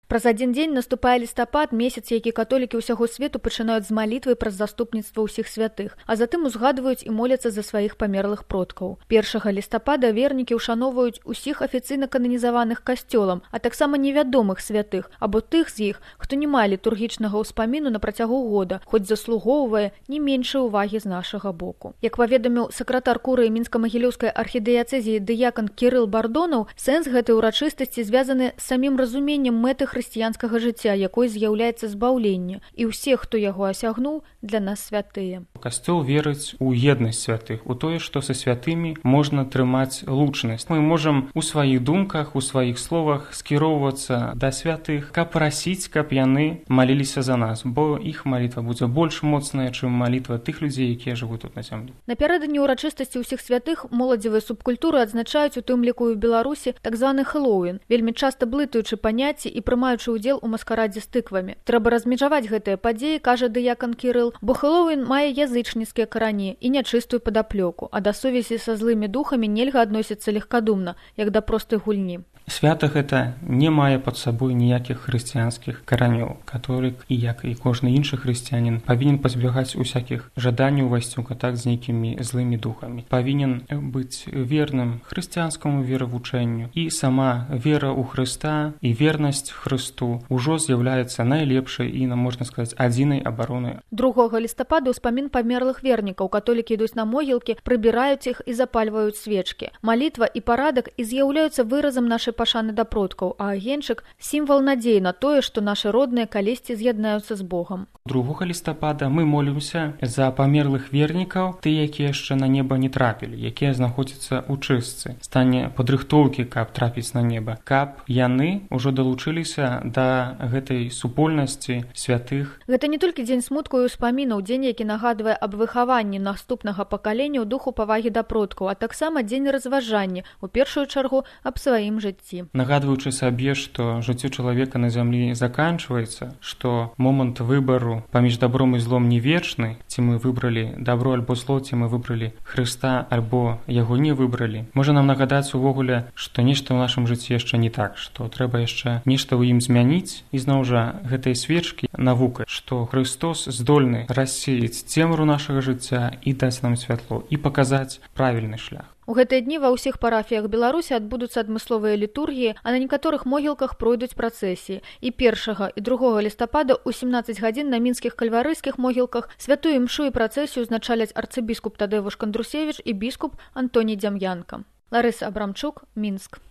Праз адзін дзень наступае лістапад, месяц, які католікі ўсяго свету пачынаюць з малітвы праз заступніцтва ўсіх святых, а затым узгадваюць і моляцца за сваіх памерлых продкаў. 1 лістапада вернікі ўшаноўваюць усіх афіцыйна кананізаваных касцёлам, а таксама невядомых святых, або тых з іх, хто не мае літургічнага ўспаміну на працягу года, хоць заслугоўвае не меншай увагі з нашага боку. Як паведаміў сакратар курыі мінска-магілёўскай архідыяцэзіі дыякан Кірыл Бардонаў, сэнс гэтай урачыстасці звязаны з самім разуменнем мэты хрысціянскага жыцця, якой з'яўляецца збаўленне, і ўсе, хто яго асягнуў, для нас святыя. Касцёл верыць у еднасць святых, у тое, што са святымі можна трымаць лучнасць. Мы можам у сваіх думках, у сваіх словах скіроўвацца да святых, каб прасіць, каб яны маліліся за нас, бо іх малітва будзе больш моцная, чым малітва тых людзей, якія жывуць тут на зямлі. Напярэдадні ўрачыстасці ўсіх святых моладзевыя субкультуры адзначаюць у тым ліку і ў Беларусі так званы Хэллоуін, вельмі часта блытаючы паняцці і прымаючы ўдзел у маскарадзе з тыквамі. Трэба размежаваць гэтыя падзеі, кажа дыякан Кірыл, бо Хэллоуін мае язычніцкія карані і нячыстую падаплёку, а да сувязі са злымі духамі нельга адносіцца легкадумна, як да простай гульні. Свята гэта не мае пад сабой ніякіх хрысціянскіх каранёў. Католік, і як і кожны іншы хрысціянін, павінен пазбягаць усякіх жаданняў увайсці ў кантакт з нейкімі злымі духамі. Павінен быць верным хрысціянскаму веравучэнню, і сама вера ў Хрыста і вернасць Хрысту ўжо з'яўляецца найлепшай і, можна сказаць, адзінай абаронай. 2 лістапада ўспамін памерлых вернікаў. Католікі ідуць на могілкі, прыбіраюць іх і запальваюць свечкі. Малітва і парадак і з'яўляюцца выразам нашай пашаны да продкаў, а агеньчык – сімвал надзеі на тое, што нашы родныя калісьці з'яднаюцца з Богам. 2 лістапада мы молімся за памерлых вернікаў, тыя, якія яшчэ на неба не трапілі, якія знаходзяцца ў чыстцы, стане падрыхтоўкі, каб трапіць на неба, каб яны ўжо далучыліся да гэтай супольнасці святых. Гэта не толькі дзень смутку і ўспамінаў, дзень, які нагадвае аб выхаванні наступнага пакалення ў духу павагі да продкаў, а таксама дзень разважання, у першую чаргу аб сваім жыцці. Нагадваючы сабе, што жыццё чалавека на зямлі заканчваецца, што момант выбару паміж добром і злом не вечны, ці мы выбралі добро альбо зло, ці мы выбралі Хрыста альбо яго не выбралі. Можа нам нагадаць увогуле, што нешта ў нашым жыцці яшчэ не так, што трэба яшчэ нешта ў ім змяніць, і зноў жа гэтай свечкі навука, што Хрыстос здольны рассеяць цемру нашага жыцця і даць нам святло, і паказаць правільны шлях. У гэтыя дні ва ўсіх парафіях Беларусі адбудуцца адмысловыя літургіі, а на некаторых могілках пройдуць працэсіі. І 1 і 2 лістапада ў 17 гадзін на мінскіх кальварыйскіх могілках святую імшу і працэсію узначаляць арцыбіскуп Тадэвуш Кандрусевіч і біскуп Антоній Дзям'янка. Ларыса Абрамчук, Мінск.